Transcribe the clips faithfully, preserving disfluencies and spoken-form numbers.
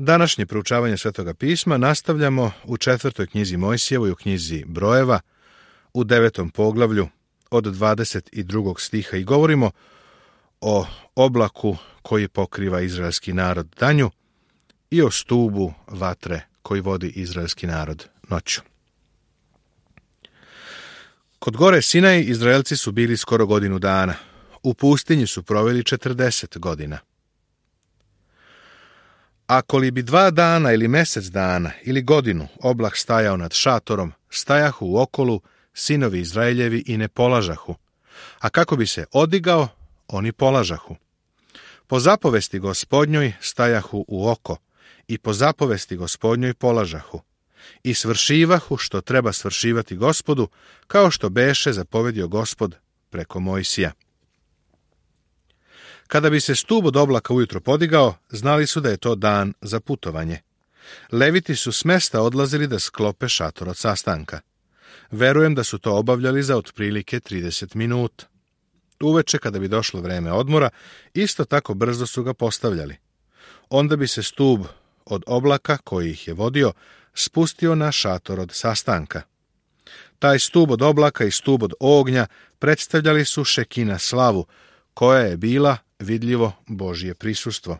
Današnje proučavanje Svetoga pisma nastavljamo u četvrtoj knjizi Mojsijevoj, u knjizi Brojeva, u devetom poglavlju od dvadeset drugog stiha i govorimo o oblaku koji pokriva izraelski narod danju i o stubu vatre koji vodi izraelski narod noću. Kod gore Sinaj Izraelci su bili skoro godinu dana. U pustinji su proveli četrdeset godina. Ako li bi dva dana ili mjesec dana ili godinu oblak stajao nad šatorom, stajahu u okolu sinovi Izraeljevi i ne polažahu, a kako bi se odigao, oni polažahu. Po zapovesti Gospodnjoj stajahu u oko i po zapovesti Gospodnjoj polažahu. I svršivahu što treba svršivati Gospodu, kao što beše zapovedio Gospod preko Mojsija. Kada bi se stub od oblaka ujutro podigao, znali su da je to dan za putovanje. Leviti su s mesta odlazili da sklope šator od sastanka. Verujem da su to obavljali za otprilike trideset minuta. Uveče, kada bi došlo vreme odmora, isto tako brzo su ga postavljali. Onda bi se stub od oblaka koji ih je vodio spustio na šator od sastanka. Taj stub od oblaka i stub od ognja predstavljali su šekina slavu, koja je bila vidljivo Božje prisustvo.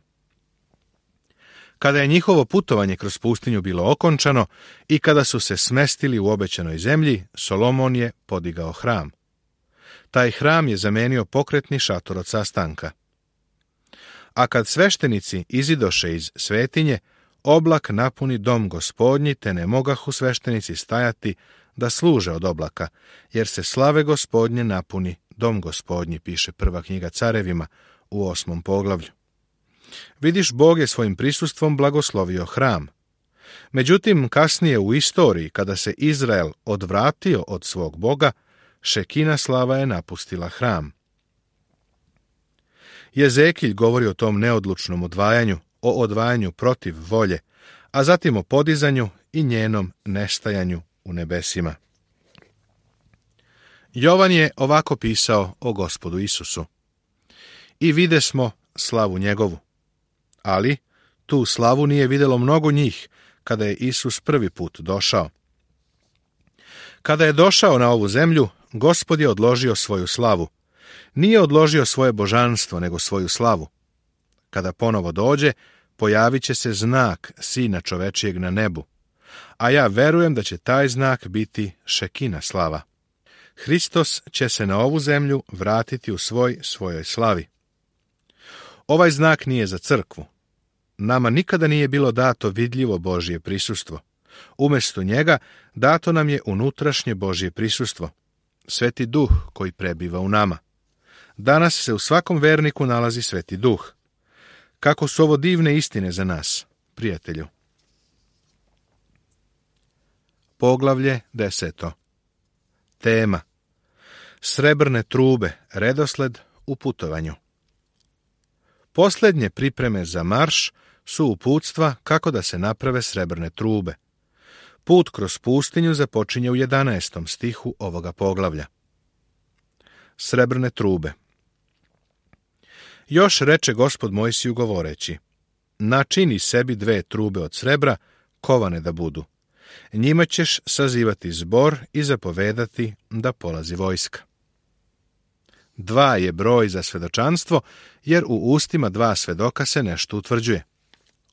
Kada je njihovo putovanje kroz pustinju bilo okončano i kada su se smestili u obećanoj zemlji, Solomon je podigao hram. Taj hram je zamenio pokretni šator od sastanka. A kad sveštenici izidoše iz svetinje, oblak napuni dom Gospodnji, te ne mogahu sveštenici stajati da služe od oblaka, jer se slave Gospodnje napuni dom Gospodnji, piše prva knjiga Carevima u osmom poglavlju. Vidiš, Bog je svojim prisustvom blagoslovio hram. Međutim, kasnije u istoriji, kada se Izrael odvratio od svog Boga, šekina slava je napustila hram. Jezekilj govori o tom neodlučnom odvajanju, o odvajanju protiv volje, a zatim o podizanju i njenom nestajanju u nebesima. Jovan je ovako pisao o Gospodu Isusu. I videsmo slavu njegovu. Ali tu slavu nije vidjelo mnogo njih, kada je Isus prvi put došao. Kada je došao na ovu zemlju, Gospod je odložio svoju slavu. Nije odložio svoje božanstvo, nego svoju slavu. Kada ponovo dođe, pojavit će se znak Sina čovečijeg na nebu. A ja verujem da će taj znak biti šekina slava. Hristos će se na ovu zemlju vratiti u svoj svojoj slavi. Ovaj znak nije za crkvu. Nama nikada nije bilo dato vidljivo Božje prisustvo. Umjesto njega dato nam je unutrašnje Božje prisustvo, Sveti Duh koji prebiva u nama. Danas se u svakom verniku nalazi Sveti Duh. Kako su ovo divne istine za nas, prijatelju. Poglavlje deseto. Tema. Srebrne trube, redosled u putovanju. Posljednje pripreme za marš su uputstva kako da se naprave srebrne trube. Put kroz pustinju započinje u jedanaestom stihu ovoga poglavlja. Srebrne trube. Još reče Gospod Mojsiju govoreći: načini sebi dve trube od srebra, kovane da budu. Njima ćeš sazivati zbor i zapovedati da polazi vojska. Dva je broj za svedočanstvo, jer u ustima dva svedoka se nešto utvrđuje.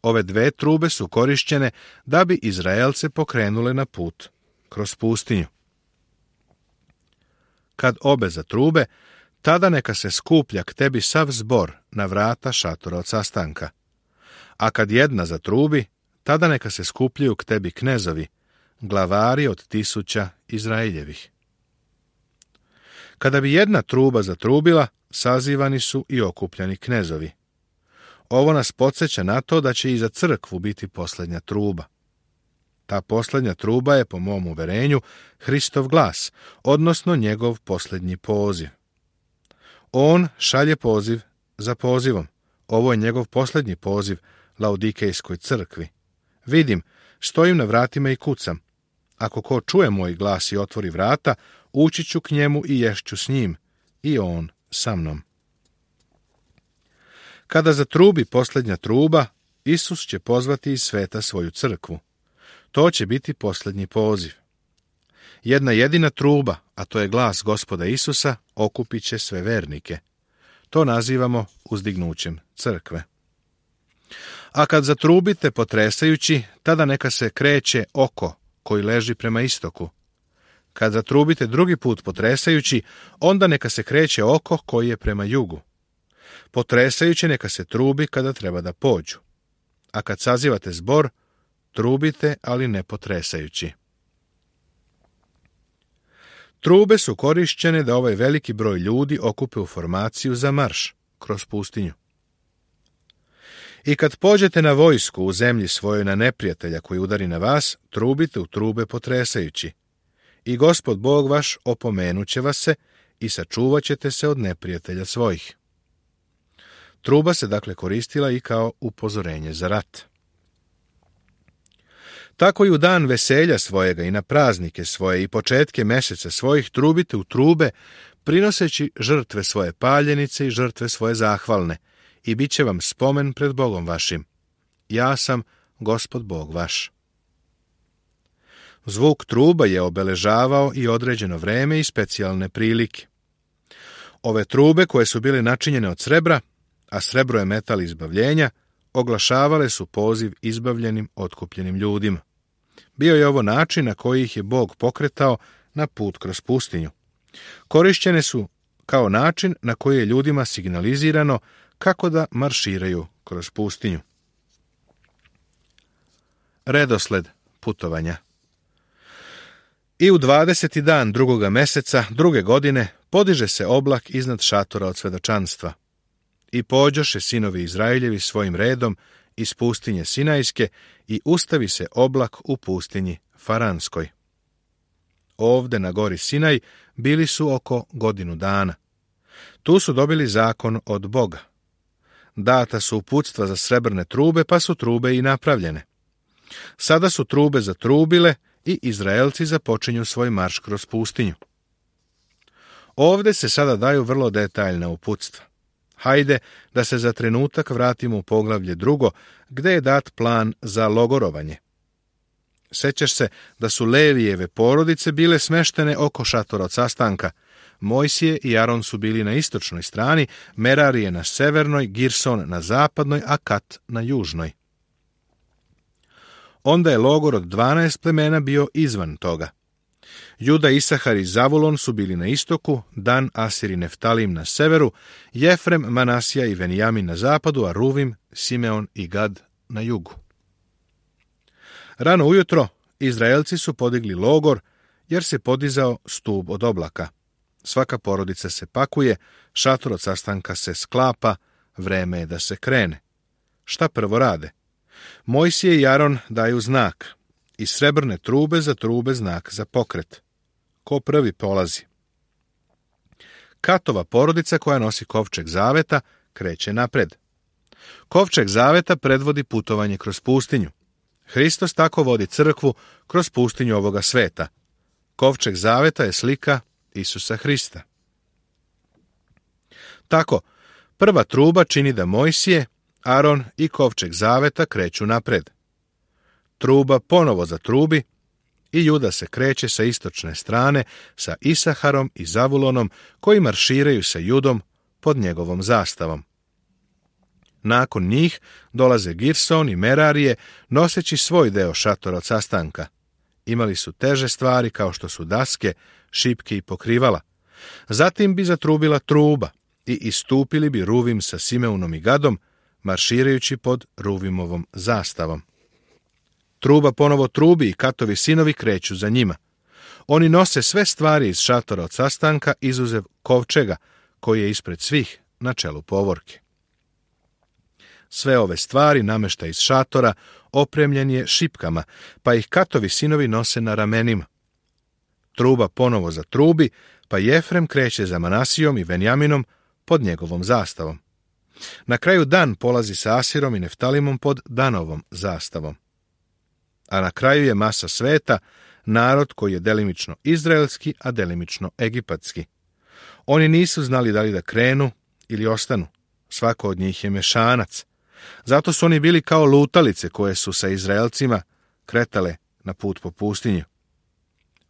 Ove dve trube su korišćene da bi Izraelce pokrenule na put kroz pustinju. Kad obe za trube, tada neka se skuplja k tebi sav zbor na vrata šatora od sastanka. A kad jedna zatrubi, tada neka se skupljaju k tebi knezovi, glavari od tisuća Izraeljevih. Kada bi jedna truba zatrubila, sazivani su i okupljani knezovi. Ovo nas podsjeća na to da će i za crkvu biti posljednja truba. Ta posljednja truba je, po mom uverenju, Hristov glas, odnosno njegov posljednji poziv. On šalje poziv za pozivom. Ovo je njegov posljednji poziv Laodikejskoj crkvi. Vidim, stojim na vratima i kucam. Ako ko čuje moj glas i otvori vrata, ući ću k njemu i ješću s njim, i on sa mnom. Kada zatrubi posljednja truba, Isus će pozvati iz sveta svoju crkvu. To će biti posljednji poziv. Jedna jedina truba, a to je glas Gospoda Isusa, okupit će sve vernike. To nazivamo uzdignućem crkve. A kad zatrubite potresajući, tada neka se kreće oko koji leži prema istoku. Kad zatrubite drugi put potresajući, onda neka se kreće oko koji je prema jugu. Potresajući neka se trubi kada treba da pođu. A kad sazivate zbor, trubite, ali ne potresajući. Trube su korišćene da ovaj veliki broj ljudi okupe u formaciju za marš kroz pustinju. I kad pođete na vojsku u zemlji svojoj na neprijatelja koji udari na vas, trubite u trube potresajući. I Gospod Bog vaš opomenuće vas se i sačuvat ćete se od neprijatelja svojih. Truba se dakle koristila i kao upozorenje za rat. Tako i u dan veselja svojega i na praznike svoje i početke mjeseca svojih trubite u trube, prinoseći žrtve svoje paljenice i žrtve svoje zahvalne, i bit će vam spomen pred Bogom vašim. Ja sam Gospod Bog vaš. Zvuk truba je obeležavao i određeno vreme i specijalne prilike. Ove trube, koje su bile načinjene od srebra, a srebro je metal izbavljenja, oglašavale su poziv izbavljenim, otkupljenim ljudima. Bio je ovo način na koji ih je Bog pokretao na put kroz pustinju. Korišćene su kao način na koji je ljudima signalizirano kako da marširaju kroz pustinju. Redosled putovanja. I u dvadeseti dan drugoga meseca druge godine podiže se oblak iznad šatora od svedočanstva. I pođoše sinovi Izraeljevi svojim redom iz pustinje Sinajske i ustavi se oblak u pustinji Faranskoj. Ovde na gori Sinaj bili su oko godinu dana. Tu su dobili zakon od Boga. Data su uputstva za srebrne trube, pa su trube i napravljene. Sada su trube zatrubile i Izraelci započinju svoj marš kroz pustinju. Ovde se sada daju vrlo detaljna uputstva. Hajde da se za trenutak vratimo u poglavlje drugo, gde je dat plan za logorovanje. Sećaš se da su Levijeve porodice bile smeštene oko šatora od sastanka. Mojsije i Aron su bili na istočnoj strani, Merarije na severnoj, Girson na zapadnoj, a Kat na južnoj. Onda je logor od dvanaest plemena bio izvan toga. Juda, Isahar i Zavulon su bili na istoku, Dan, Asir i Neftalim na severu, Jefrem, Manasija i Venijamin na zapadu, a Ruvim, Simeon i Gad na jugu. Rano ujutro Izraelci su podigli logor, jer se podizao stub od oblaka. Svaka porodica se pakuje, šator od sastanka se sklapa, vreme je da se krene. Šta prvo rade? Mojsije i Aron daju znak, i srebrne trube za trube znak za pokret. Ko prvi polazi? Katova porodica koja nosi kovčeg zaveta kreće napred. Kovčeg zaveta predvodi putovanje kroz pustinju. Hristos tako vodi crkvu kroz pustinju ovoga sveta. Kovčeg zaveta je slika Isusa Hrista. Tako, prva truba čini da Mojsije, Aron i kovčeg zaveta kreću napred. Truba ponovo zatrubi i Juda se kreće sa istočne strane sa Isaharom i Zavulonom koji marširaju sa Judom pod njegovom zastavom. Nakon njih dolaze Girson i Merarije noseći svoj deo šatora od sastanka. Imali su teže stvari kao što su daske, šipke i pokrivala. Zatim bi zatrubila truba i istupili bi Ruvim sa Simeunom i Gadom, marširajući pod Ruvimovom zastavom. Truba ponovo trubi i Katovi sinovi kreću za njima. Oni nose sve stvari iz šatora od sastanka, izuzev kovčega, koji je ispred svih na čelu povorke. Sve ove stvari namešta iz šatora opremljen je šipkama, pa ih Katovi sinovi nose na ramenima. Truba ponovo zatrubi, pa Jefrem kreće za Manasijom i Venjaminom pod njegovom zastavom. Na kraju Dan polazi sa Asirom i Neftalimom pod Danovom zastavom. A na kraju je masa sveta, narod koji je delimično izraelski, a delimično egipatski. Oni nisu znali da li da krenu ili ostanu. Svako od njih je mešanac. Zato su oni bili kao lutalice koje su sa Izraelcima kretale na put po pustinju.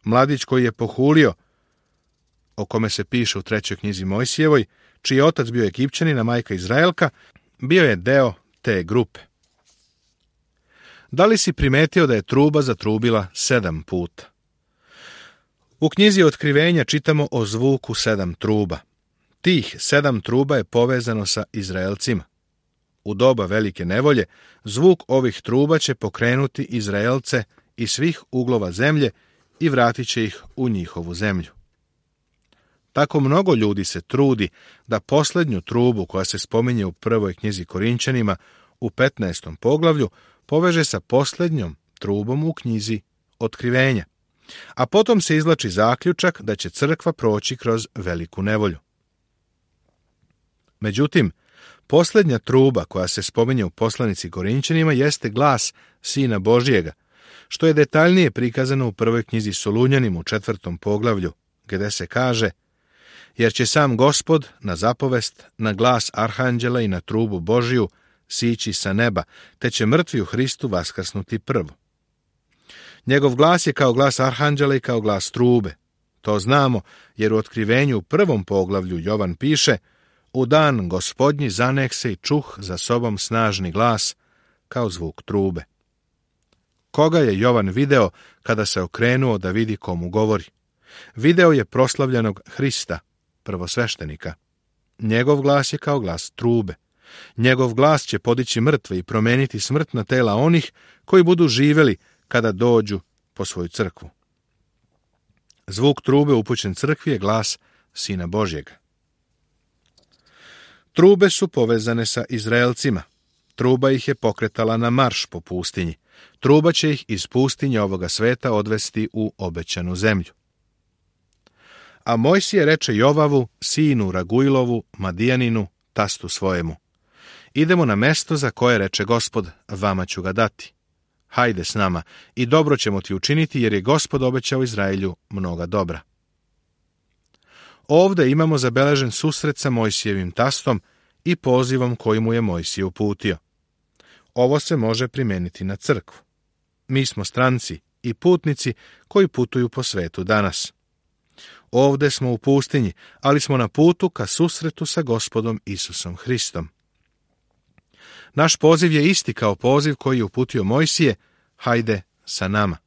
Mladić koji je pohulio, o kome se piše u trećoj knjizi Mojsijevoj, čiji je otac bio Egipćanin, a majka Izraelka, bio je deo te grupe. Da li si primetio da je truba zatrubila sedam puta? U knjizi Otkrivenja čitamo o zvuku sedam truba. Tih sedam truba je povezano sa Izraelcima. U doba velike nevolje, zvuk ovih truba će pokrenuti Izraelce iz svih uglova zemlje i vratit će ih u njihovu zemlju. Tako mnogo ljudi se trudi da posljednju trubu koja se spominje u prvoj knjizi Korinćanima u petnaestom poglavlju poveže sa posljednjom trubom u knjizi Otkrivenja, a potom se izvlači zaključak da će crkva proći kroz veliku nevolju. Međutim, posljednja truba koja se spominje u poslanici Korinćanima jeste glas Sina Božijega, što je detaljnije prikazano u prvoj knjizi Solunjanima u četvrtom poglavlju, gdje se kaže: jer će sam Gospod na zapovest, na glas arhanđela i na trubu Božiju sići sa neba, te će mrtvi u Hristu vaskrsnuti prvo. Njegov glas je kao glas arhanđela i kao glas trube. To znamo, jer u Otkrivenju u prvom poglavlju Jovan piše: u dan Gospodnji zanek se i čuh za sobom snažni glas, kao zvuk trube. Koga je Jovan video kada se okrenuo da vidi komu govori? Video je proslavljenog Hrista, prvosveštenika. Njegov glas je kao glas trube. Njegov glas će podići mrtve i promeniti smrtna tela onih koji budu živjeli kada dođu po svoju crkvu. Zvuk trube upućen crkvi je glas Sina Božjega. Trube su povezane sa Izraelcima. Truba ih je pokretala na marš po pustinji. Truba će ih iz pustinje ovoga sveta odvesti u obećanu zemlju. A Mojsije reče Jovavu, sinu Ragujlovu, Madijaninu, tastu svojemu: idemo na mesto za koje reče Gospod, vama ću ga dati. Hajde s nama i dobro ćemo ti učiniti, jer je Gospod obećao Izraelju mnoga dobra. Ovdje imamo zabeležen susret sa Mojsijevim tastom i pozivom koji mu je Mojsije uputio. Ovo se može primijeniti na crkvu. Mi smo stranci i putnici koji putuju po svetu danas. Ovdje smo u pustinji, ali smo na putu ka susretu sa Gospodom Isusom Hristom. Naš poziv je isti kao poziv koji je uputio Mojsije: hajde sa nama.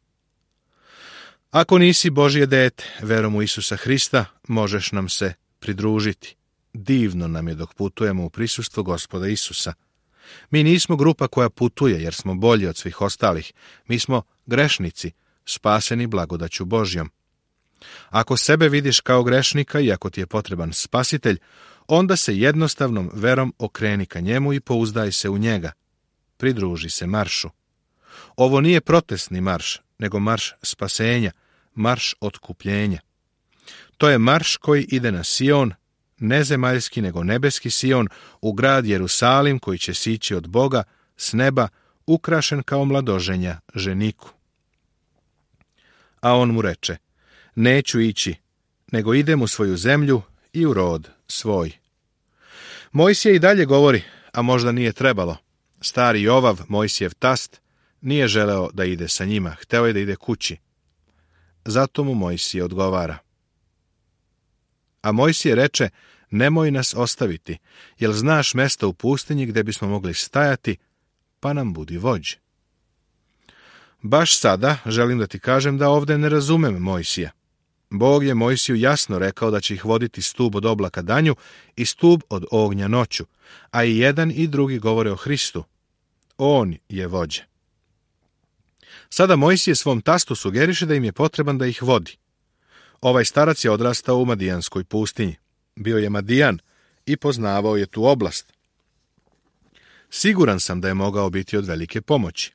Ako nisi Božje dete, verom u Isusa Hrista, možeš nam se pridružiti. Divno nam je dok putujemo u prisustvu Gospoda Isusa. Mi nismo grupa koja putuje jer smo bolji od svih ostalih. Mi smo grešnici, spaseni blagodaću Božjom. Ako sebe vidiš kao grešnika i ako ti je potreban spasitelj, onda se jednostavnom verom okreni ka njemu i pouzdaj se u njega. Pridruži se maršu. Ovo nije protestni marš, nego marš spasenja, marš otkupljenja. To je marš koji ide na Sion, ne zemaljski nego nebeski Sion, u grad Jerusalim koji će sići od Boga s neba, ukrašen kao mladoženja ženiku. A on mu reče: neću ići, nego idem u svoju zemlju i u rod svoj. Mojsije i dalje govori, a možda nije trebalo. Stari Jovav, Mojsijev tast, nije želeo da ide sa njima, hteo je da ide kući. Zato mu Mojsije odgovara. A Mojsije reče: nemoj nas ostaviti, jel znaš mesta u pustinji gdje bismo mogli stajati, pa nam budi vođ. Baš sada želim da ti kažem da ovdje ne razumem Mojsija. Bog je Mojsiju jasno rekao da će ih voditi stub od oblaka danju i stub od ognja noću, a i jedan i drugi govore o Hristu. On je vođa. Sada Mojsije svom tastu sugeriše da im je potreban da ih vodi. Ovaj starac je odrastao u Madijanskoj pustinji. Bio je Madijan i poznavao je tu oblast. Siguran sam da je mogao biti od velike pomoći.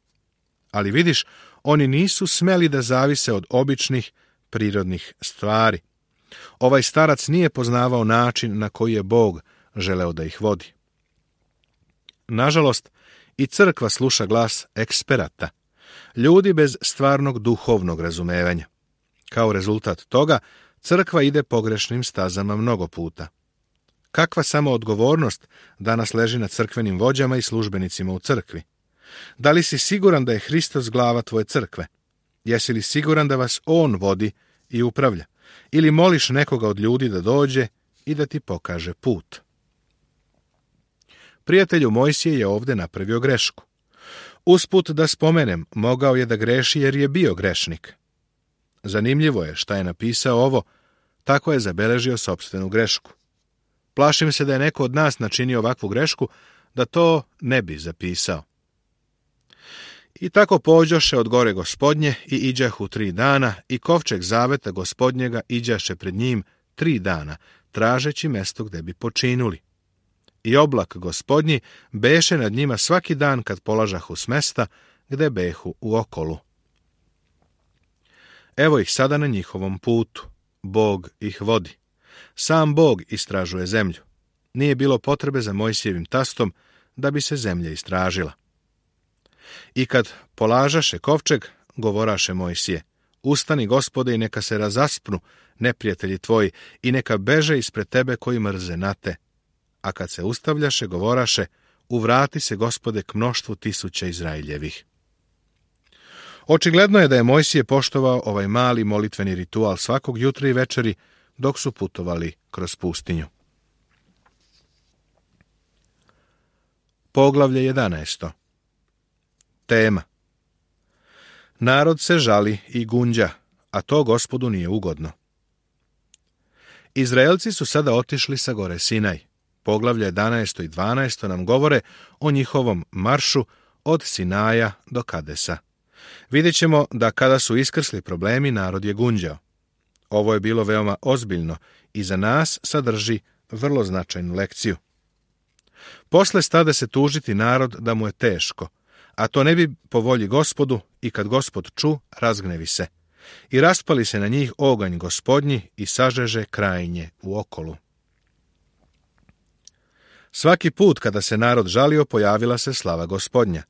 Ali vidiš, oni nisu smeli da zavise od običnih prirodnih stvari. Ovaj starac nije poznavao način na koji je Bog želeo da ih vodi. Nažalost, i crkva sluša glas eksperata, ljudi bez stvarnog duhovnog razumevanja. Kao rezultat toga, crkva ide pogrešnim stazama mnogo puta. Kakva samo odgovornost danas leži na crkvenim vođama i službenicima u crkvi? Da li si siguran da je Hristos glava tvoje crkve? Jesi li siguran da vas On vodi i upravlja? Ili moliš nekoga od ljudi da dođe i da ti pokaže put? Prijatelju Mojsije je ovdje napravio grešku. Usput da spomenem, mogao je da greši jer je bio grešnik. Zanimljivo je šta je napisao ovo, tako je zabeležio sopstvenu grešku. Plašim se da je neko od nas načinio ovakvu grešku, da to ne bi zapisao. I tako pođoše od gore Gospodnje i iđahu tri dana, i kovčeg zaveta Gospodnjega iđaše pred njim tri dana, tražeći mesto gde bi počinuli. I oblak Gospodnji beše nad njima svaki dan kad polažahu s mesta gde behu u okolu. Evo ih sada na njihovom putu. Bog ih vodi. Sam Bog istražuje zemlju. Nije bilo potrebe za Mojsijevim tastom da bi se zemlja istražila. I kad polažaše kovčeg, govoraše Mojsije, ustani, Gospode, i neka se razaspnu neprijatelji tvoji i neka beže ispred tebe koji mrze na te. A kad se ustavljaše, govoraše, uvrati se, Gospode, k mnoštvu tisuća Izraeljevih. Očigledno je da je Mojsije poštovao ovaj mali molitveni ritual svakog jutra i večeri dok su putovali kroz pustinju. Poglavlje jedanaesto. Tema. Narod se žali i gunđa, a to Gospodu nije ugodno. Izraelci su sada otišli sa gore Sinaj. Poglavlje jedanaesto i dvanaesto nam govore o njihovom maršu od Sinaja do Kadesa. Vidjet ćemo da kada su iskrsli problemi, narod je gunđao. Ovo je bilo veoma ozbiljno i za nas sadrži vrlo značajnu lekciju. Posle stade se tužiti narod da mu je teško, a to ne bi po volji Gospodu, i kad Gospod ču, razgnevi se. I raspali se na njih oganj Gospodnji i sažeže krajnje u okolu. Svaki put kada se narod žalio, pojavila se slava Gospodnja.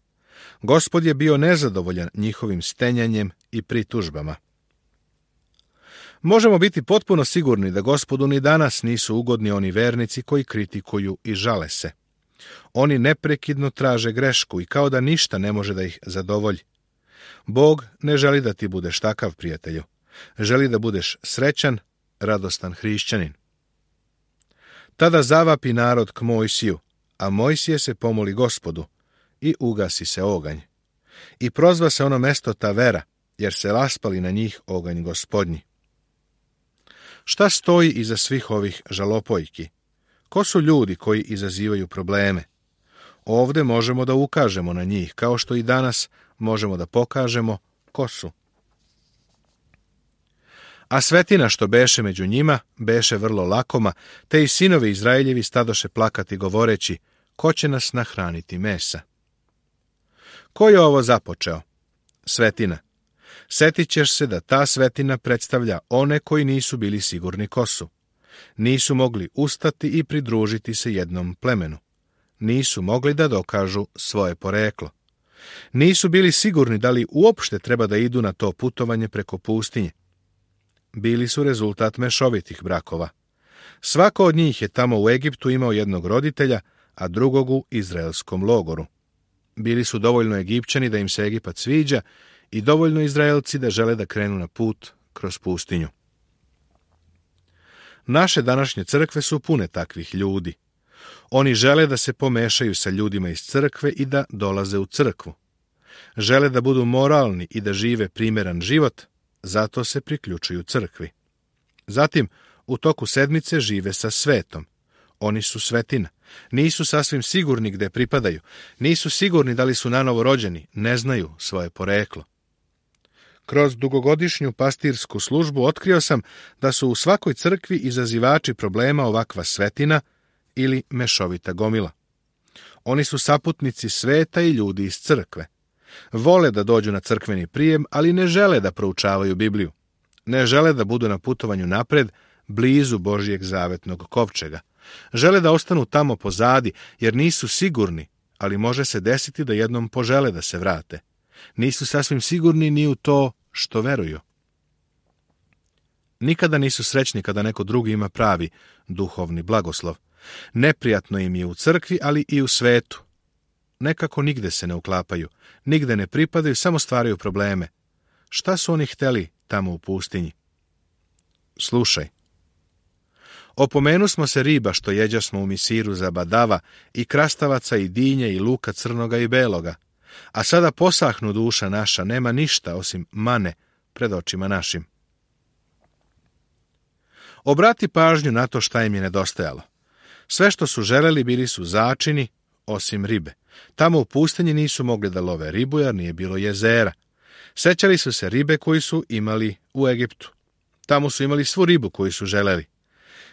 Gospod je bio nezadovoljan njihovim stenjanjem i pritužbama. Možemo biti potpuno sigurni da Gospodu ni danas nisu ugodni oni vernici koji kritikuju i žale se. Oni neprekidno traže grešku i kao da ništa ne može da ih zadovolji. Bog ne želi da ti budeš takav, prijatelju. Želi da budeš srećan, radostan hrišćanin. Tada zavapi narod k Mojsiju, a Mojsije se pomoli Gospodu i ugasi se oganj. I prozva se ono mesto Tavera, jer se raspali na njih oganj Gospodnji. Šta stoji iza svih ovih žalopojki? Ko su ljudi koji izazivaju probleme? Ovde možemo da ukažemo na njih, kao što i danas možemo da pokažemo ko su. A svetina što beše među njima, beše vrlo lakoma, te i sinovi Izraeljevi stadoše plakati govoreći, ko će nas nahraniti mesa? Ko je ovo započeo? Svetina. Setit ćeš se da ta svetina predstavlja one koji nisu bili sigurni ko su. Nisu mogli ustati i pridružiti se jednom plemenu. Nisu mogli da dokažu svoje poreklo. Nisu bili sigurni da li uopšte treba da idu na to putovanje preko pustinje. Bili su rezultat mešovitih brakova. Svako od njih je tamo u Egiptu imao jednog roditelja, a drugog u izraelskom logoru. Bili su dovoljno Egipćani da im se Egipat sviđa i dovoljno Izraelci da žele da krenu na put kroz pustinju. Naše današnje crkve su pune takvih ljudi. Oni žele da se pomešaju sa ljudima iz crkve i da dolaze u crkvu. Žele da budu moralni i da žive primeran život, zato se priključuju crkvi. Zatim, u toku sedmice žive sa svetom. Oni su svetina. Nisu sasvim sigurni gde pripadaju. Nisu sigurni da li su nanovo rođeni. Ne znaju svoje poreklo. Kroz dugogodišnju pastirsku službu otkrio sam da su u svakoj crkvi izazivači problema ovakva svetina ili mešovita gomila. Oni su saputnici sveta i ljudi iz crkve. Vole da dođu na crkveni prijem, ali ne žele da proučavaju Bibliju. Ne žele da budu na putovanju napred, blizu Božijeg zavetnog kovčega. Žele da ostanu tamo pozadi, jer nisu sigurni, ali može se desiti da jednom požele da se vrate. Nisu sasvim sigurni ni u to što veruju. Nikada nisu srećni kada neko drugi ima pravi duhovni blagoslov. Neprijatno im je u crkvi, ali i u svetu. Nekako nigde se ne uklapaju, nigde ne pripadaju, samo stvaraju probleme. Šta su oni hteli tamo u pustinji? Slušaj. Opomenu smo se riba što jeđasmo u Misiru za badava i krastavaca i dinje i luka crnoga i beloga, a sada posahnu duša naša, nema ništa osim mane pred očima našim. Obrati pažnju na to šta im je nedostajalo. Sve što su želeli bili su začini, osim ribe. Tamo u pustinji nisu mogli da love ribu jer nije bilo jezera. Sećali su se ribe koju su imali u Egiptu. Tamo su imali svu ribu koju su želeli.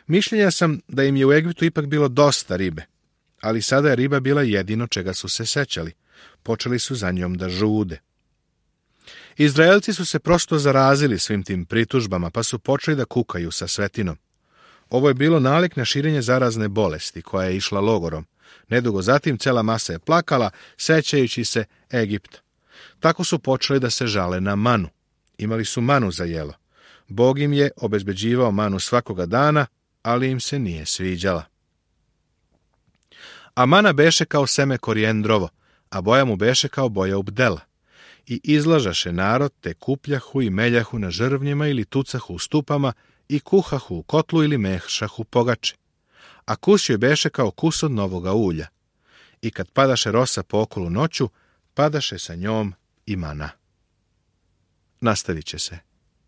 Mišljenja sam da im je u Egiptu ipak bilo dosta ribe, ali sada je riba bila jedino čega su se sećali. Počeli su za njom da žude. Izraelci su se prosto zarazili svim tim pritužbama, pa su počeli da kukaju sa svetinom. Ovo je bilo nalik na širenje zarazne bolesti koja je išla logorom. Nedugo zatim cela masa je plakala, sećajući se Egipta. Tako su počeli da se žale na manu. Imali su manu za jelo. Bog im je obezbeđivao manu svakoga dana, ali im se nije sviđala. A mana beše kao seme korijendrovo, a boja mu beše kao boja ubdela. I izlažaše narod, te kupljahu i meljahu na žrvnjima ili tucahu u stupama i kuhahu u kotlu ili mešahu pogače. A kus joj beše kao kus od novoga ulja. I kad padaše rosa po okolu noću, padaše sa njom i mana. Nastavit će se.